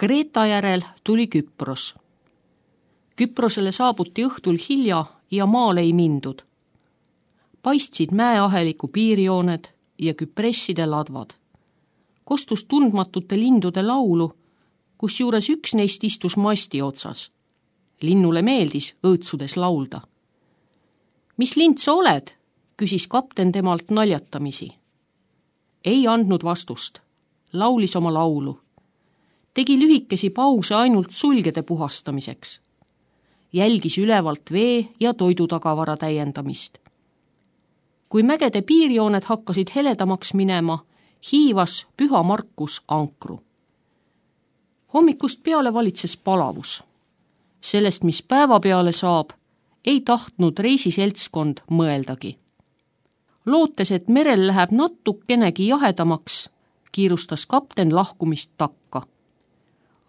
Kreeta järel tuli Küpros. Küprosele saabuti õhtul hilja ja maale ei mindud. Paistsid mäeaheliku piirjooned ja küpresside ladvad. Kostus tundmatute lindude laulu, kusjuures üks neist istus masti otsas. Linnule meeldis õõtsudes laulda. Mis lind sa oled? Küsis kapten temalt naljatamisi. Ei andnud vastust. Laulis oma laulu. Tegi lühikesi pause ainult sulgede puhastamiseks. Jälgis ülevalt vee ja toidutagavara täiendamist. Kui mägede piirjooned hakkasid heledamaks minema, hiivas Püha Markus ankru. Hommikust peale valitses palavus. Sellest, mis päeva peale saab, ei tahtnud reisiseltskond mõeldagi. Lootes, et merel läheb natukenegi jahedamaks, kiirustas kapten lahkumist takka.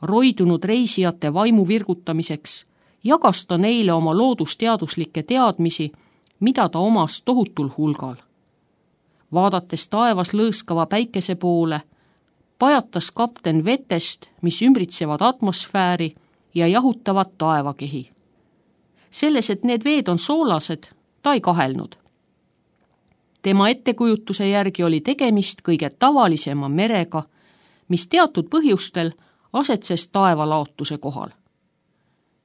Roidunud reisijate vaimu virgutamiseks jagas ta neile oma loodusteaduslikke teadmisi, mida ta omas tohutul hulgal. Vaadates taevas lõõskava päikese poole, pajatas kapten vetest, mis ümbritsevad atmosfääri ja jahutavad taevakehi. Selles, et need veed on soolased, ta ei kahelnud. Tema ettekujutuse järgi oli tegemist kõige tavalisema merega, mis teatud põhjustel asetses taevalaotuse kohal.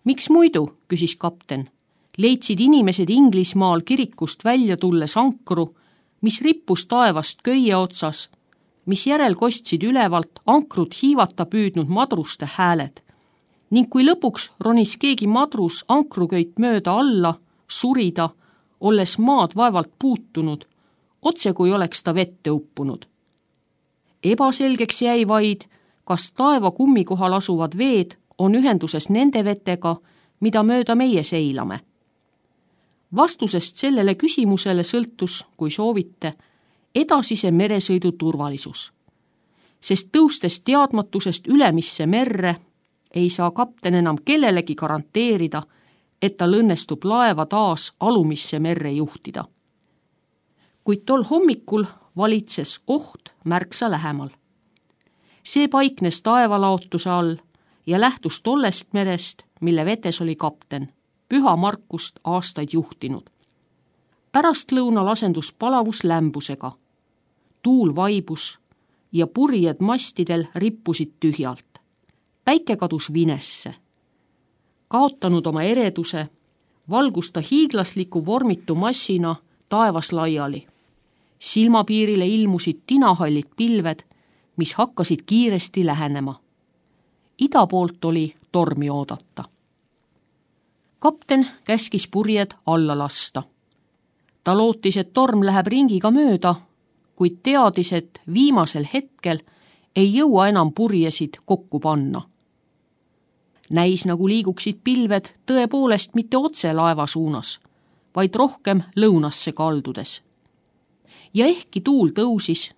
Miks muidu, küsis kapten, leidsid inimesed Inglismaal kirikust välja tulles ankru, mis rippus taevast köie otsas, mis järel kostsid ülevalt ankrut hiivata püüdnud madruste hääled, ning kui lõpuks ronis keegi madrus ankruköit mööda alla, surida, olles maad vaevalt puutunud, otse kui oleks ta vette uppunud. Ebaselgeks jäi vaid, kas taeva kummikohal asuvad veed on ühenduses nende vetega, mida mööda meie seilame. Vastusest sellele küsimusele sõltus, kui soovite, edasise meresõidu turvalisus. Sest tõustes teadmatusest ülemisse merre, ei saa kapten enam kellelegi garanteerida, et tal õnnestub laeva taas alumisse merre juhtida. Kuid tol hommikul valitses oht märksa lähemal. See paiknes taevalaotuse all ja lähtus tollest merest, mille vetes oli kapten, Püha Markust aastaid juhtinud. Pärastlõunal asendus palavus lämbusega. Tuul vaibus ja purjed mastidel rippusid tühjalt. Päike kadus vinesse. Kaotanud oma ereduse, valgus ta hiiglasliku vormitu massina taevas laiali. Silmapiirile ilmusid tinahallid pilved, mis hakkasid kiiresti lähenema. Ida poolt oli tormi oodata. Kapten käskis purjed alla lasta. Ta lootis, et torm läheb ringiga mööda, kuid teadis, et viimasel hetkel ei jõua enam purjesid kokku panna. Näis, nagu liiguksid pilved tõepoolest mitte otse laeva suunas, vaid rohkem lõunasse kaldudes. Ja ehkki tuul tõusis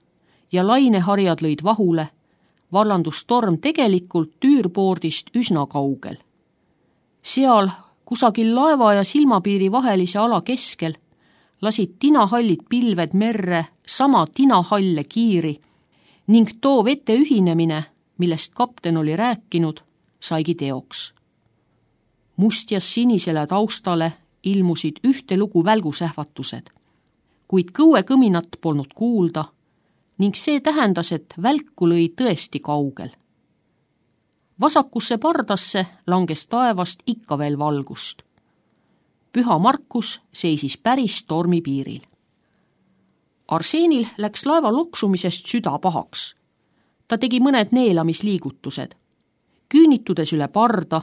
ja laineharjad lõid vahule, vallandus torm tegelikult tüürpoordist üsna kaugel. Seal, kusagil laeva ja silmapiiri vahelise ala keskel, lasid tinahallid pilved merre sama tinahalle kiiri ning too vete ühinemine, millest kapten oli rääkinud, saigi teoks. Mustjas sinisele taustale ilmusid ühtelugu välgusähvatused, kuid kõuekõminat polnud kuulda ning see tähendas, et välku lõi tõesti kaugel. Vasakusse pardasse langes taevast ikka veel valgust. Püha Markus seisis päris tormi piiril. Arseenil läks laeva loksumisest süda pahaks. Ta tegi mõned neelamisliigutused. Küünitudes üle parda,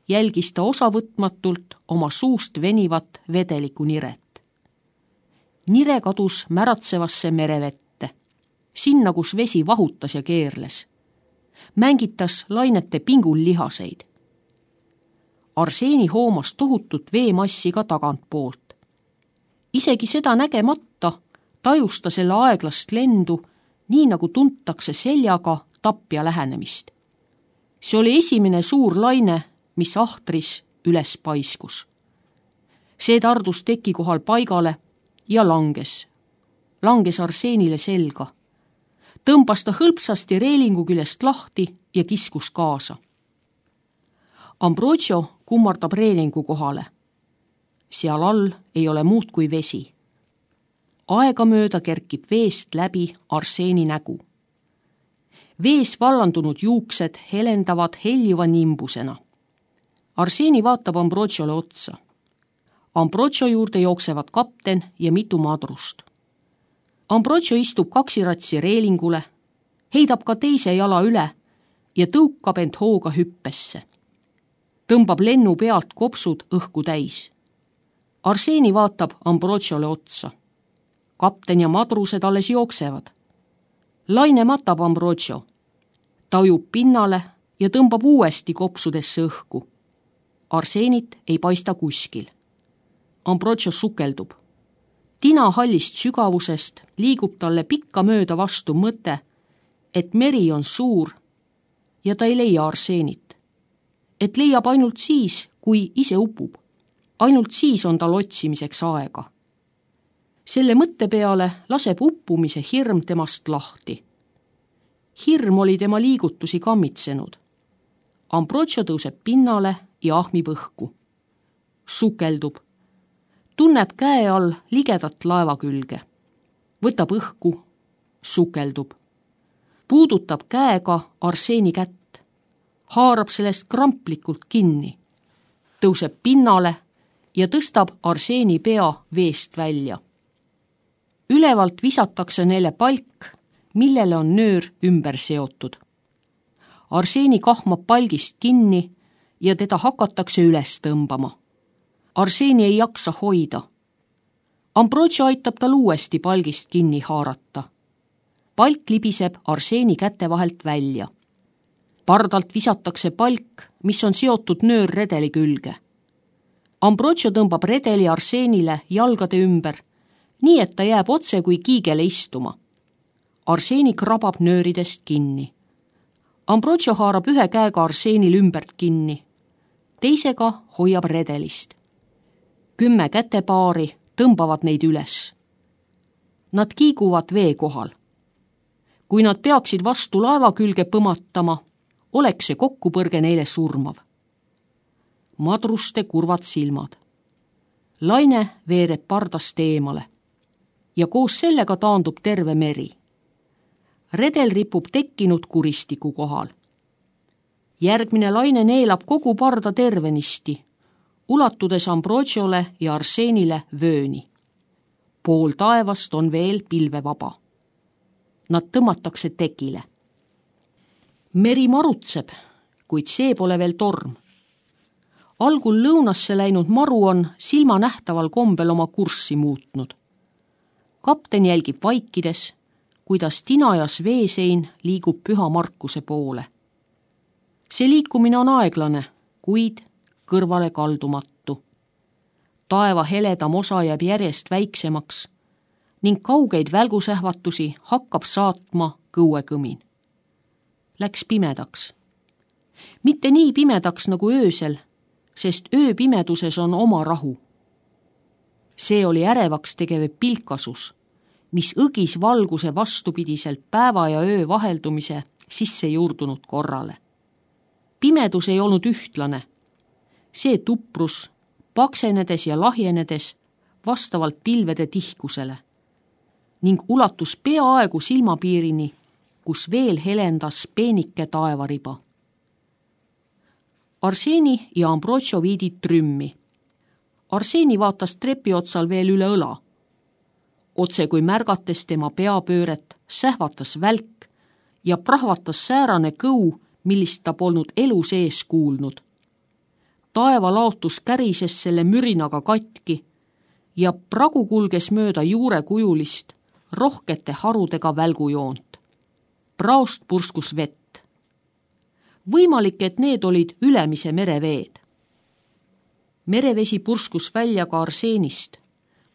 jälgis ta osavõtmatult oma suust venivat vedeliku niret. Nire kadus märatsevasse merevette, sinna, kus vesi vahutas ja keerles. Mängitas lainete pingul lihaseid. Arseeni hoomas tohutut veemassi ka tagantpoolt. Isegi seda nägemata tajus ta selle aeglast lendu, nii nagu tuntakse seljaga tapja lähenemist. See oli esimene suur laine, mis ahtris üles paiskus. See tardus teki kohal paigale ja langes. Langes Arseenile selga. Tõmbas ta hõlpsasti reelingu küljest lahti ja kiskus kaasa. Ambrogio kummardab reelingu kohale. Seal all ei ole muud kui vesi. Aegamööda kerkib veest läbi Arseeni nägu. Vees vallandunud juuksed helendavad heljuva nimbusena. Arseeni vaatab Ambrogiole otsa. Ambrogio juurde jooksevad kapten ja mitu madrust. Ambrogio istub kaksiratsi reelingule, heidab ka teise jala üle ja tõukab end hooga hüppesse. Tõmbab lennu pealt kopsud õhku täis. Arseeni vaatab Ambrogiole otsa. Kapten ja madrused alles jooksevad. Laine matab Ambrogio. Ta ujub pinnale ja tõmbab uuesti kopsudesse õhku. Arseenit ei paista kuskil. Ambrogio sukeldub. Tina hallist sügavusest liigub talle pikka mööda vastu mõte, et meri on suur ja ta ei leia Arseenit. Et leiab ainult siis, kui ise upub. Ainult siis on tal otsimiseks aega. Selle mõtte peale laseb uppumise hirm temast lahti. Hirm oli tema liigutusi kammitsenud. Ambrogio tõuseb pinnale ja ahmib õhku. Sukeldub. Tunneb käe all ligedat laeva külge. Võtab õhku. Sukeldub. Puudutab käega Arseeni kätt. Haarab sellest kramplikult kinni. Tõuseb pinnale ja tõstab Arseeni pea veest välja. Ülevalt visatakse neile palk, millele on nöör ümber seotud. Arseeni kahmab palgist kinni ja teda hakatakse üles tõmbama. Arseeni ei jaksa hoida. Ambrogio aitab tal uuesti palgist kinni haarata. Palk libiseb Arseeni käte vahelt välja. Pardalt visatakse palk, mis on seotud nöörredeli külge. Ambrogio tõmbab redeli Arseenile jalgade ümber, nii et ta jääb otse kui kiigele istuma. Arseeni krabab nööridest kinni. Ambrogio haarab ühe käega Arseenil ümbert kinni, teisega hoiab redelist. 10 kätepaari tõmbavad neid üles. Nad kiiguvad vee kohal. Kui nad peaksid vastu laeva külge põmatama, oleks see kokkupõrge neile surmav. Madruste kurvad silmad. Laine veereb pardast eemale ja koos sellega taandub terve meri. Redel ripub tekkinud kuristiku kohal. Järgmine laine neelab kogu parda tervenisti, ulatudes Ambrogiole ja Arseenile vööni. Pool taevast on veel pilvevaba. Nad tõmmatakse tekile. Meri marutseb, kuid see pole veel torm. Algul lõunasse läinud maru on silmanähtaval kombel oma kurssi muutnud. Kapten jälgib vaikides, kuidas tinajas veesein liigub Püha Markuse poole. See liikumine on aeglane, kuid kõrvale kaldumatu. Taeva heledam osa jääb järjest väiksemaks ning kaugeid välgusähvatusi hakkab saatma kõuekõmin. Läks pimedaks. Mitte nii pimedaks nagu öösel, sest ööpimeduses on oma rahu. See oli ärevaks tegev pilkasus, mis õgis valguse vastupidiselt päeva ja öö vaheldumise sisse juurdunud korrale. Pimedus ei olnud ühtlane. See tuprus, paksenedes ja lahjenedes vastavalt pilvede tihkusele ning ulatus peaaegu silmapiirini, kus veel helendas peenike taevariba. Arseeni ja Ambrogio viidid trümmi. Arseeni vaatas trepi otsal veel üle õla. Otse kui märgates tema peapööret, sähvatas välk ja prahvatas säärane kõu, millist ta polnud elu sees kuulnud. Taeva laotus kärises selle mürinaga katki ja pragu kulges mööda juurekujulist, rohkete harudega välgujoont. Praost purskus vett. Võimalik, et need olid ülemise mereveed. Merevesi purskus välja ka Arseenist,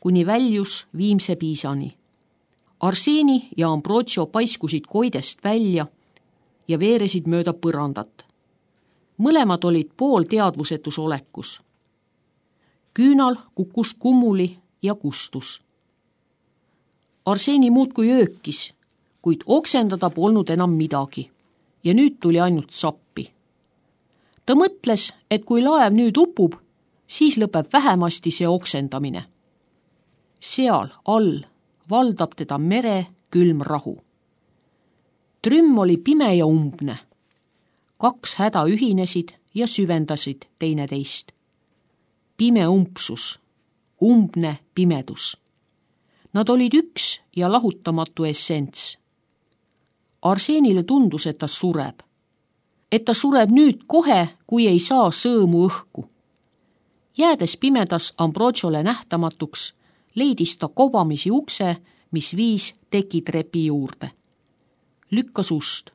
kuni väljus Viimse piisani. Arseeni ja Ambrogio paiskusid koidest välja ja veeresid mööda põrandat. Mõlemad olid poolteadvusetus olekus. Küünal kukkus kummuli ja kustus. Arseeni muudkui öökis, kuid oksendada polnud enam midagi. ja nüüd tuli ainult sappi. Ta mõtles, et kui laev nüüd upub, siis lõpeb vähemasti see oksendamine. Seal all valdab teda mere külm rahu. Trümm oli pime ja umbne. 2 häda ühinesid ja süvendasid teineteist. Pime umbsus, umbne pimedus. Nad olid üks ja lahutamatu essents. Arseenile tundus, et ta sureb. Et ta sureb nüüd kohe, kui ei saa sõõmu õhku. Jäädes pimedas Ambrogiole nähtamatuks, leidis ta kobamisi ukse, mis viis tekitrepi juurde. Lükkas ust,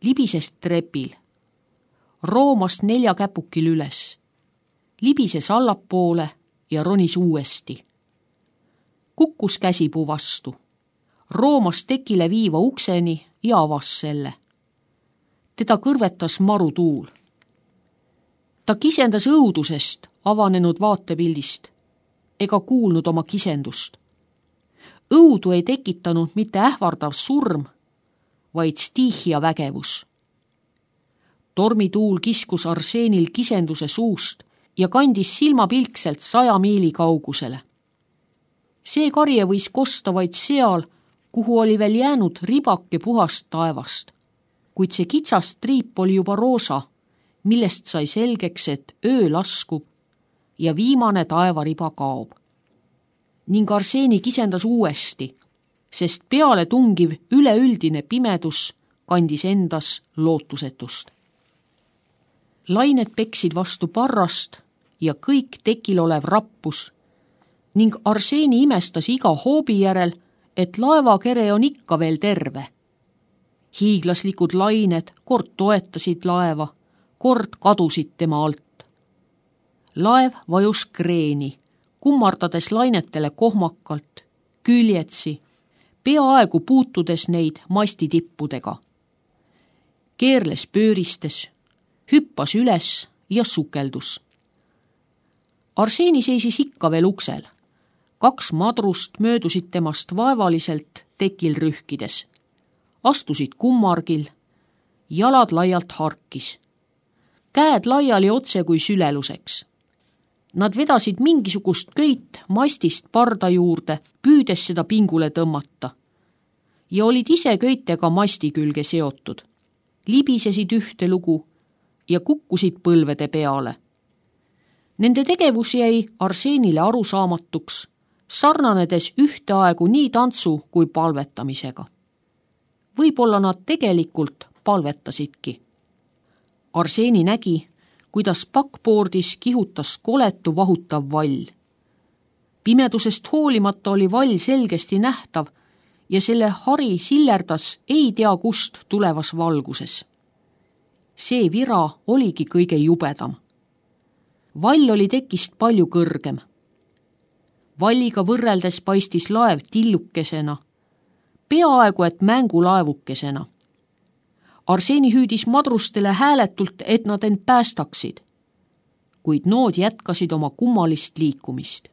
libises trepil, roomas 4 käpukil üles, libises allapoole ja ronis uuesti. Kukkus käsipuu vastu, roomas tekile viiva ukseni ja avas selle. Teda kõrvetas marutuul. Ta kisendas õudusest avanenud vaatepildist ega kuulnud oma kisendust. Õudu ei tekitanud mitte ähvardav surm, vaid stiihia vägevus. Tormituul kiskus Arseenil kisenduse suust ja kandis silmapilkselt 100 miili kaugusele. See karje võis kosta vaid seal, kuhu oli veel jäänud ribake puhast taevast. Kuid see kitsas triip oli juba roosa, millest sai selgeks, et öö laskub ja viimane taevariba kaob. Ning Arseeni kisendas uuesti, sest peale tungiv üleüldine pimedus kandis endas lootusetust. Lained peksid vastu parrast ja kõik tekil olev rappus ning Arseeni imestas iga hoobi järel, et laevakere on ikka veel terve. Hiiglaslikud lained kord toetasid laeva, kord kadusid tema alt. Laev vajus kreeni, kummardades lainetele kohmakalt, küljetsi, peaaegu puutudes neid mastitippudega. Keerles pööristes, hüppas üles ja sukeldus. Arseeni seisis ikka veel uksel. 2 madrust möödusid temast vaevaliselt tekil rühkides. Astusid kummargil, jalad laialt harkis. Käed laiali otse kui süleluseks. Nad vedasid mingisugust köit mastist parda juurde, püüdes seda pingule tõmmata. Ja olid ise köitega masti külge seotud. Libisesid ühte lugu ja kukkusid põlvede peale. Nende tegevus jäi Arseenile arusaamatuks, sarnanedes ühteaegu nii tantsu kui palvetamisega. Võib-olla nad tegelikult palvetasidki. Arseeni nägi, kuidas pakkpoordis kihutas koletu vahutav vall. Pimedusest hoolimata oli vall selgesti nähtav ja selle hari sillerdas ei tea kust tulevas valguses. See vira oligi kõige jubedam. Vall oli tekist palju kõrgem. Valliga võrreldes paistis laev tillukesena, peaaegu et mängulaevukesena. Arseeni hüüdis madrustele hääletult, et nad end päästaksid, kuid nood jätkasid oma kummalist liikumist.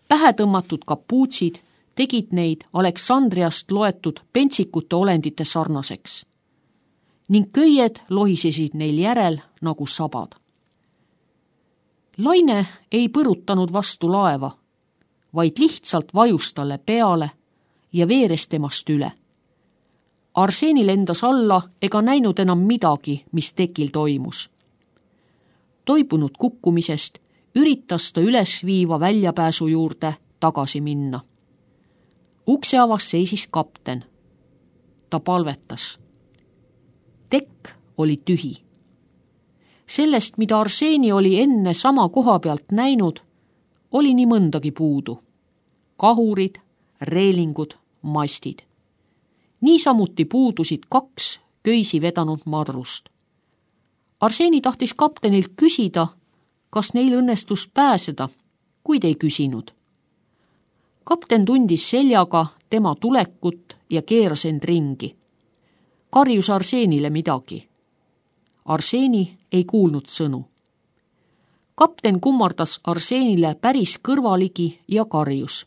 Pähe tõmmatud kapuutsid tegid neid Aleksandriast loetud pentsikute olendite sarnaseks ning köied lohisesid neil järel nagu sabad. Laine ei põrutanud vastu laeva, vaid lihtsalt vajus talle peale ja veeres temast üle. Arseeni lendas alla ega näinud enam midagi, mis tekil toimus. Toibunud kukkumisest üritas ta üles viiva väljapääsu juurde tagasi minna. Ukse avas seisis kapten. Ta palvetas. Tekk oli tühi. Sellest, mida Arseeni oli enne sama koha pealt näinud, oli nii mõndagi puudu. Kahurid, reelingud, mastid. Niisamuti puudusid 2 köisi vedanud madrust. Arseeni tahtis kaptenilt küsida, kas neil õnnestus pääseda, kuid ei küsinud. Kapten tundis seljaga tema tulekut ja keeras end ringi. Karjus Arseenile midagi. Arseeni ei kuulnud sõnu. Kapten kummardas Arseenile päris kõrvaligi ja karjus.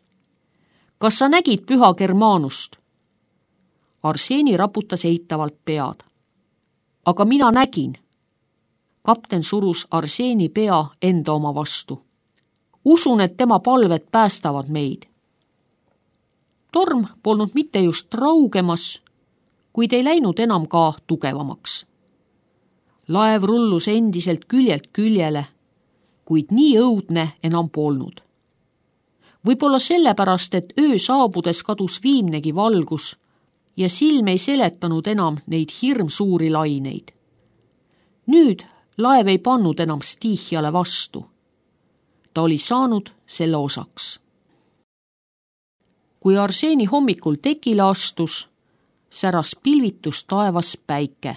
Kas sa nägid püha Germanust? Arseeni raputas eitavalt pead. Aga mina nägin. Kapten surus Arseeni pea enda oma vastu. Usun, et tema palved päästavad meid. Torm polnud mitte just raugemas, kuid ei läinud enam ka tugevamaks. Laev rullus endiselt küljelt küljele, kuid nii õudne enam polnud. Võib-olla sellepärast, et öö saabudes kadus viimnegi valgus ja silm ei seletanud enam neid hirmsuuri laineid. Nüüd laev ei pannud enam stiihiale vastu. Ta oli saanud selle osaks. Kui Arseeni hommikul tekile astus, säras pilvitus taevas päike.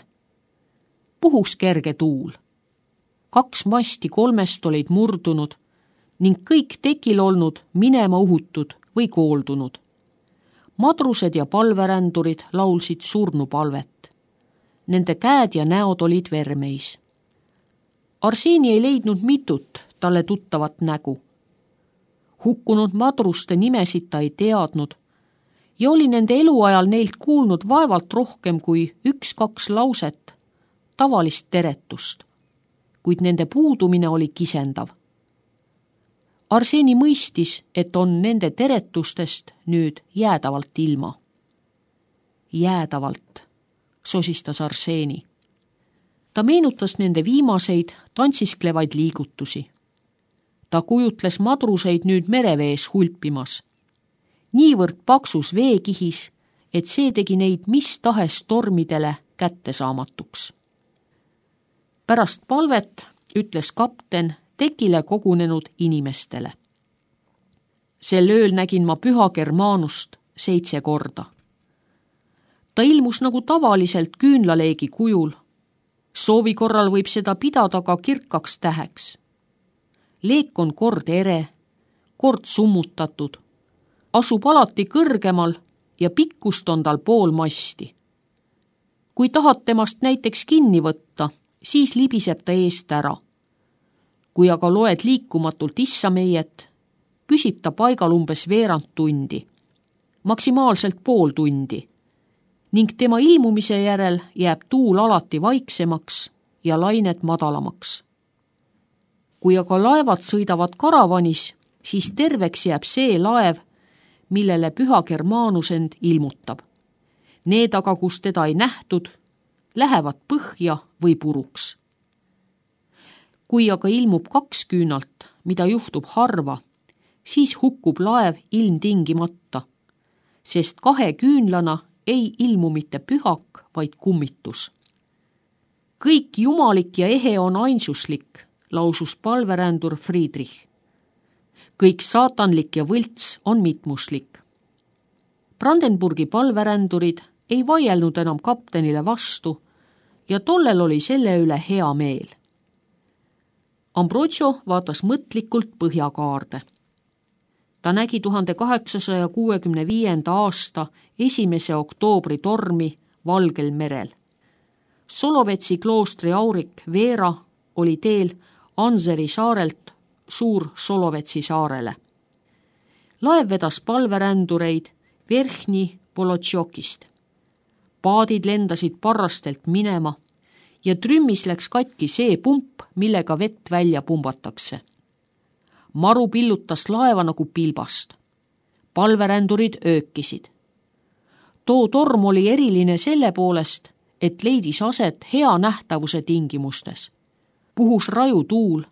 Puhus kerge tuul. 2 masti 3 olid murdunud ning kõik tekil olnud minema uhutud või kooldunud. Madrused ja palverändurid laulsid surnupalvet. Nende käed ja näod olid vermeis. Arseeni ei leidnud mitut talle tuttavat nägu. Hukkunud madruste nimesid ta ei teadnud ja oli nende eluajal neilt kuulnud vaevalt rohkem kui 1-2 lauset, tavalist teretust, kuid nende puudumine oli kisendav. Arseeni mõistis, et on nende teretustest nüüd jäädavalt ilma. Jäädavalt, sosistas Arseeni. Ta meenutas nende viimaseid tantsisklevaid liigutusi. Ta kujutles madruseid nüüd merevees hulpimas. Niivõrd paksus veekihis, et see tegi neid mis tahes tormidele kättesaamatuks. Pärast palvet ütles kapten tekile kogunenud inimestele. Sel ööl nägin ma püha Germanust 7 korda. Ta ilmus nagu tavaliselt küünlaleegi kujul. Soovi korral võib seda pidada ka kirkaks täheks. Leek on kord ere, kord summutatud, asub alati kõrgemal ja pikkust on tal pool masti. Kui tahad temast näiteks kinni võtta, siis libiseb ta eest ära. Kui aga loed liikumatult issameiet, püsib ta paigal umbes veerand tundi, maksimaalselt pool tundi, ning tema ilmumise järel jääb tuul alati vaiksemaks ja lained madalamaks. Kui aga laevad sõidavad karavanis, siis terveks jääb see laev, millele püha Germanus end ilmutab. Need aga, kus teda ei nähtud, lähevad põhja või puruks. Kui aga ilmub 2 küünalt, mida juhtub harva, siis hukkub laev ilmtingimata, sest 2 küünlana ei ilmu mitte pühak, vaid kummitus. Kõik jumalik ja ehe on ainsuslik, lausus palverändur Friedrich. Kõik saatanlik ja võlts on mitmuslik. Brandenburgi palverändurid ei vaielnud enam kaptenile vastu ja tollel oli selle üle hea meel. Ambrogio vaatas mõtlikult põhjakaarde. Ta nägi 1865. aasta 1. oktoobri tormi Valgel merel. Solovetsi kloostri aurik Veera oli teel Anseri saarelt Suur-Solovetsi saarele. Laev vedas palverändureid Verhni Volotšokist. Paadid lendasid parrastelt minema ja trümmis läks katki see pump, millega vett välja pumbatakse. Maru pillutas laeva nagu pilbast. Palverändurid öökisid. Too torm oli eriline selle poolest, et leidis aset hea nähtavuse tingimustes. Puhus raju tuul,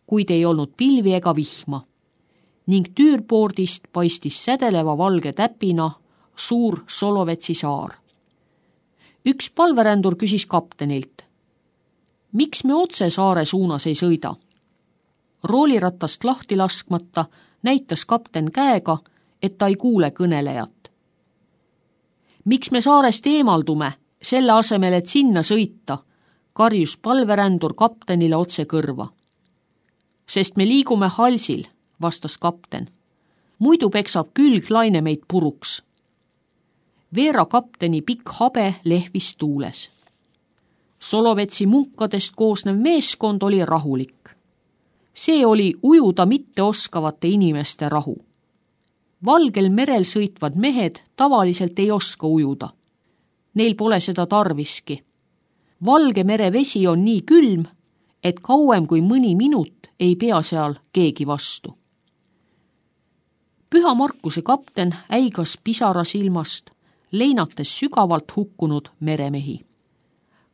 kuid ei olnud pilvi ega vihma, ning tüürpoordist paistis sädeleva valge täpina Suur-Solovetsi saar. Üks palverändur küsis kaptenilt, miks me otse saare suunas ei sõida? Rooliratast lahti laskmata näitas kapten käega, et ta ei kuule kõnelejat. Miks me saarest eemaldume, selle asemel, et sinna sõita, karjus palverändur kaptenile otse kõrva. Sest me liigume halsil, vastas kapten. Muidu peksab külglaine meid puruks. Veera kapteni pikk habe lehvis tuules. Solovetsi munkadest koosnev meeskond oli rahulik. See oli ujuda mitteoskavate inimeste rahu. Valgel merel sõitvad mehed tavaliselt ei oska ujuda. Neil pole seda tarviski. Valge mere vesi on nii külm, et kauem kui mõni minut ei pea seal keegi vastu. Püha Markuse kapten äigas pisara silmast, leinates sügavalt hukkunud meremehi.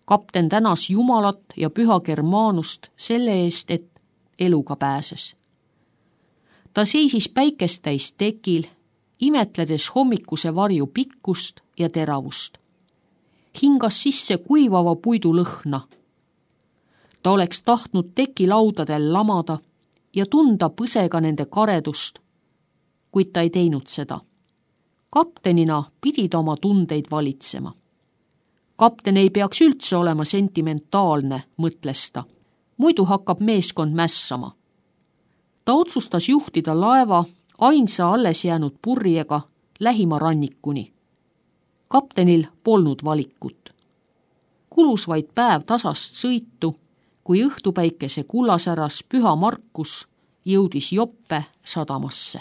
Kapten tänas Jumalat ja püha Germanust selle eest, et eluga pääses. Ta seisis päikest täis tekil, imetledes hommikuse varju pikkust ja teravust. Hingas sisse kuivava puidu lõhna. Ta oleks tahtnud tekilaudadel lamada ja tunda põsega nende karedust, kuid ta ei teinud seda. Kaptenina pidi ta oma tundeid valitsema. Kapten ei peaks üldse olema sentimentaalne, mõtles ta. Muidu hakkab meeskond mässama. Ta otsustas juhtida laeva ainsa alles jäänud purjega lähima rannikuni. Kaptenil polnud valikut. Kulus vaid päev tasast sõitu, kui õhtupäikese kullasäras püha Markus jõudis Joppe sadamasse.